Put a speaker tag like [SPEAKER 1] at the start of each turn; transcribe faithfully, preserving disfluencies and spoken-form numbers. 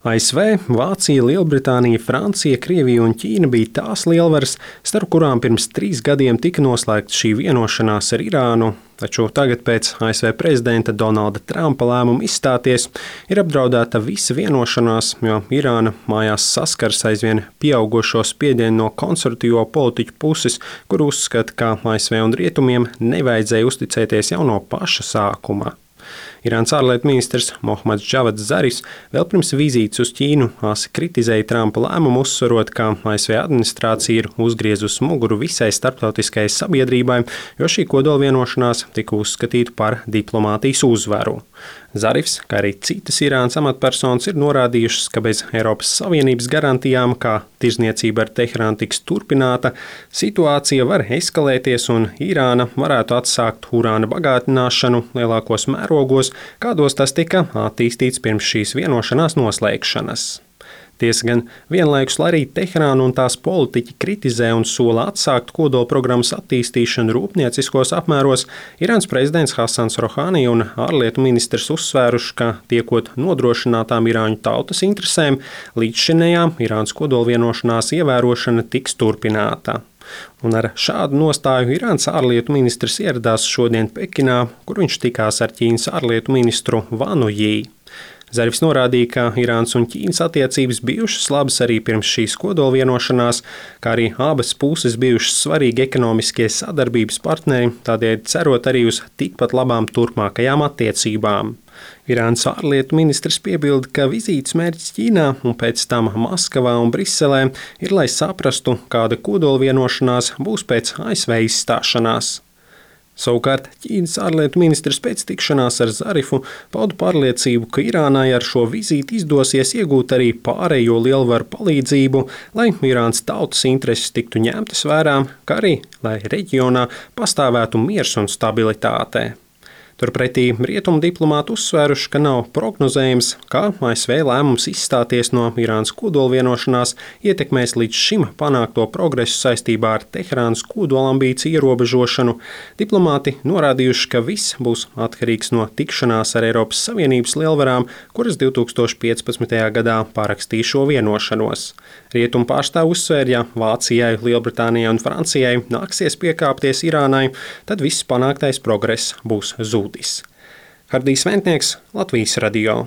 [SPEAKER 1] A S V, Vācija, Lielbritānija, Francija, Krievija un Ķīna bija tās lielvaras, starp kurām pirms trīs gadiem tika noslēgta šī vienošanās ar Irānu, taču tagad pēc A S V prezidenta Donalda Trumpa lēmuma izstāties ir apdraudēta visa vienošanās, jo Irāna mājās saskars aizvien pieaugušo spiedienu no konservatīvo politiķu puses, kur uzskata, ka A S V un rietumiem nevajadzēja uzticēties jau no paša sākuma. Irānas ārlietu ministrs Mohammads Džavads Zarifs vēl pirms vizītes uz Ķīnu asi kritizēja Trumpa lēmumu, uzsverot, ka A S V administrācija ir uzgriezusi muguru visai starptautiskajai sabiedrībai, jo šī kodolvienošanās tika uzskatīta par diplomātijas uzvaru. Zarifs, kā arī citas Irānas amatpersonas, ir norādījušas, ka bez Eiropas Savienības garantijām, ka tirzniecība ar Teherānu tiks turpināta, situācija var eskalēties un Irāna varētu atsākt urāna bagātināšanu lielākos mērogos, kādos tas tika attīstīts pirms šīs vienošanās noslēgšanas. Tiesa gan vienlaikus, lai arī Teherāna un tās politiķi kritizē un sola atsākt kodolprogrammas attīstīšanu rūpnieciskos apmēros, Irānas prezidents Hasans Rohani un ārlietu ministrs uzsvēruši, ka tiekot nodrošinātām irāņu tautas interesēm, līdzšinējā Irānas kodolvienošanās ievērošana tiks turpināta. Un ar šādu nostāju Irānas ārlietu ministrs ieradās šodien Pekinā, kur viņš tikās ar Ķīnas ārlietu ministru Vanu Jī. Zarifs norādīja, ka Irānas un Ķīnas attiecības bijušas labas arī pirms šīs kodolvienošanās, kā arī abas puses bijušas svarīgi ekonomiskie sadarbības partneri, tādēļ cerot arī uz tikpat labām turpmākajām attiecībām. Irānas ārlietu ministrs piebilda, ka vizītes mērķis Ķīnā un pēc tam Maskavā un Briselē ir, lai saprastu, kāda kodolvienošanās būs pēc A S V izstāšanās. Savukārt Ķīnas ārlietu ministrs pēc tikšanās ar Zarifu pauda pārliecību, ka Irānai ar šo vizīti izdosies iegūt arī pārējo lielvaru palīdzību, lai Irānas tautas intereses tiktu ņemtas vērā, kā arī, lai reģionā pastāvētu miers un stabilitāte. Turpretī rietumu diplomāti uzsvēruši, ka nav prognozējams, kā A S V lēmums izstāties no Irānas kodolvienošanās ietekmēs līdz šim panākto progresu saistībā ar Teherānas kodolambīciju ierobežošanu. Diplomāti norādījuši, ka viss būs atkarīgs no tikšanās ar Eiropas Savienības lielvarām, kuras divtūkstoš piecpadsmitajā gadā parakstīja šo vienošanos. Rietumu pārstāvji uzsvēra, ja Vācijai, Lielbritānijai un Francijai nāksies piekāpties Irānai, tad viss panāktais progress būs zudis. Hardijs Ventnieks, Latvijas radio.